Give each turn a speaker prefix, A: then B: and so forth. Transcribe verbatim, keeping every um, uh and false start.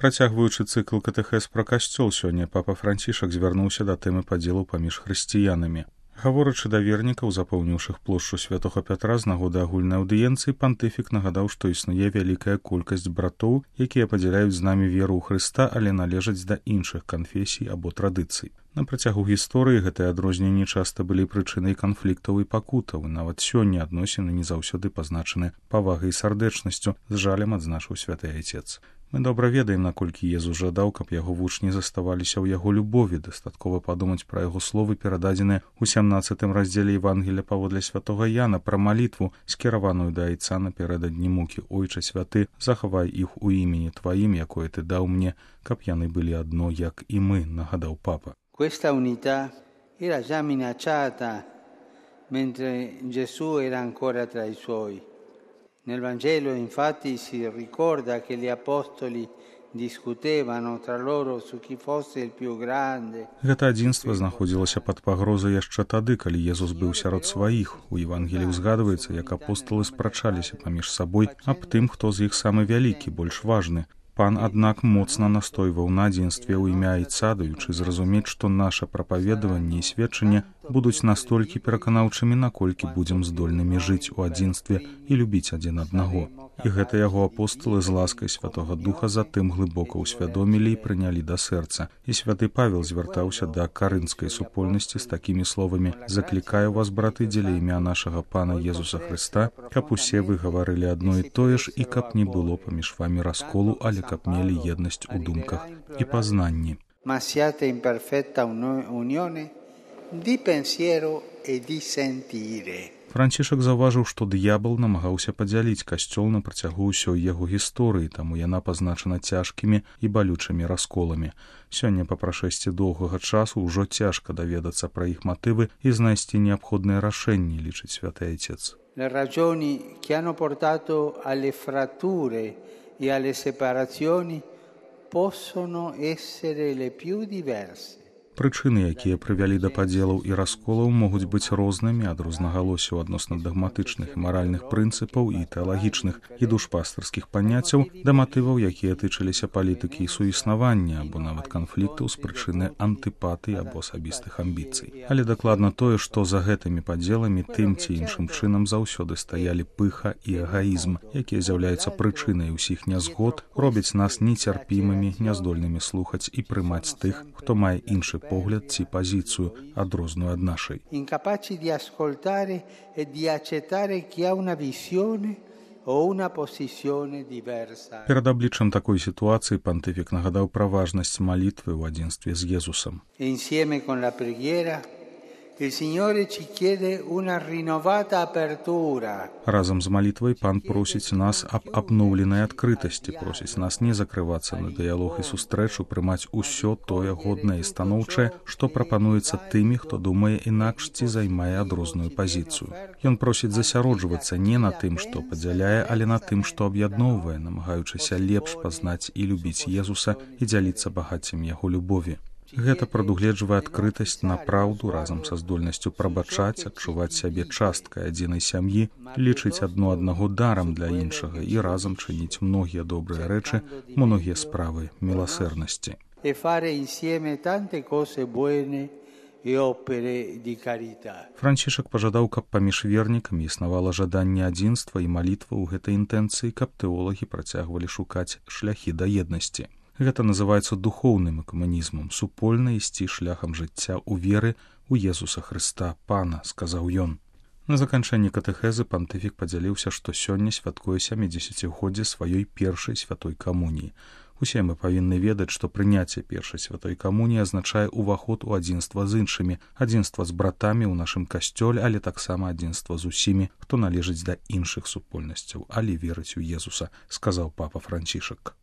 A: Працягваючы цыкл катэхез пра касцёл, сёння папа Францішак звярнуўся да тэмы падзелу паміж хрысціянамі. Гаворачы да вернікаў, запоўніўшых плошчу святога Пятра з нагоды агульнай аўдыенцыі, пантыфік нагадаў, што існуе вялікая колькасць братоў, якія падзяляюць з намі веру ў Хрыста, але належаць да іншых канфесій або традыцый. На працягу гісторыі гэтыя адрозненні часта былі прычынай канфліктаў і пакутаў, і нават сёння адносіны не заўсёды пазначаны павагай і сардэчнасцю, з жалем адзначыў святы айцец. Мы добра ведаем, наколькі Езус жадаў, каб яго вучні заставаліся ў яго любові. Дастаткова падумаць пра яго словы, перададзеныя ў сямнаццатым раздзеле Евангелія паводле святога Яна, пра малітву, скіраваную да айца напярэдадні мукі. Ойча святы, захавай іх у імені тваім, якое ты даў мне, каб яны былі адно, як і мы, нагадаў папа.
B: Questa unità era già minacciata mentre Gesù era ancora tra i suoi. Nel Vangelo infatti si ricorda che gli apostoli discutevano tra loro su chi fosse il più grande.
A: Гэта адзінства знаходзілася пад пагрозай яшчэ тады, калі Езус быў сярод сваіх. У Евангеліі ўзгадваецца, як апостолы спрачаліся паміж сабой аб тым, хто з іх самы вялікі, больш важны. Пан, аднак, моцна настойваў на адзінстве ў імя айца, даючы зразумець, што наша прапаведаванне і сведчанне будуць настолькі пераканаўчымі, наколькі будзем здольнымі жыць у адзінстве і любіць адзін аднаго. І гэта яго апостолы з ласкай Святога Духа затым глыбока ўсвядомілі і прынялі да сэрца. І святы Павел звяртаўся да карынскай супольнасці з такімі словамі: «Заклікаю вас, браты, дзеля імя нашага Пана Езуса Хрыста, каб усе вы гаварылі адно і тое ж, і каб не было паміж вамі расколу, але каб мелі еднасць у думках і пазнанні».
B: Ma siate in perfetta unione di pensiero e di sentire.
A: Францішак заўважыў, што д'ябал намагаўся падзяліць касцёл на працягу ўсёй яго гісторыі, таму яна пазначана цяжкімі і балючымі расколамі. Сёння па прашэсці доўгага часу ўжо цяжка даведацца пра іх матывы і знайсці неабходныя рашэнні, лічыць святы айцец.
B: Le ragioni che hanno portato alle fratture e alle separazioni possono essere le più diverse.
A: Прычыны, якія прывялі да падзелаў і расколаў, могуць быць рознымі, ад рознагалосяў адносна дагматычных і маральных прынцыпаў і тэалагічных і душпастарскіх паняццяў да матываў, якія тычыліся палітыкі і суіснавання, або нават канфліктаў з прычыны антыпатыі або асабістых амбіцый. Але дакладна тое, што за гэтымі падзеламі тым ці іншым чынам заўсёды стаялі пыха і эгаізм, якія з'яўляюцца прычынай усіх нязгод, робяць нас нецярпімымі, няздольнымі слухаць і прымаць тых, хто мае іншы погляд ці пазіцыю, адрозную ад нашай.
B: Incapaci di ascoltare e di accettare chi ha una visione o una posizione diversa.
A: Перад абліччам такой сітуацыі пантыфік нагадаў пра важнасць малітвы ў адзінстве з Езусам.
B: Insieme con la preghiera il Signore ci chiede una rinnovata apertura.
A: Разам з малітвай пан просіць нас аб абноўленай адкрытасці, просіць нас не закрывацца на дыялог і сустрэчу, прымаць усё тое годнае і станоўчае, што прапануецца тымі, хто думае інакш ці займае адрозную пазіцыю. Ён просіць засяроджвацца не на тым, што падзяляе, але на тым, што аб'ядноўвае, намагаючыся лепш пазнаць і любіць Езуса і дзяліцца багаццем яго любові. Гэта прадугледжвае адкрытасць на праўду разам са здольнасцю прабачаць, адчуваць сябе часткай адзінай сям'і, лічыць адно аднаго дарам для іншага і разам чыніць многія добрыя рэчы, многія справы міласэрнасці.
B: E fare insieme tante cose buone e opere di carità.
A: Францішак пажадаў, каб паміж вернікамі існавала жаданне адзінства і малітва ў гэтай інтэнцыі, каб тэолагі працягвалі шукаць шляхі да еднасці. Гэта называецца духоўным экумэнізмам, супольна ісці шляхам жыцця ў веры ў Езуса Хрыста, Пана, сказаў ён. На заканчэнні катэхезы пантыфік падзяліўся, што сёння святкуе сямідзесяцігоддзе сваёй першай святой камуніі. Усе мы павінны ведаць, што прыняцце першай святой камуніі азначае ўваход у адзінства з іншымі, адзінства з братамі ў нашым касцёле, але таксама адзінства з усімі, хто належыць да іншых супольнасцяў, але верыць у Езуса, сказаў папа Францішак.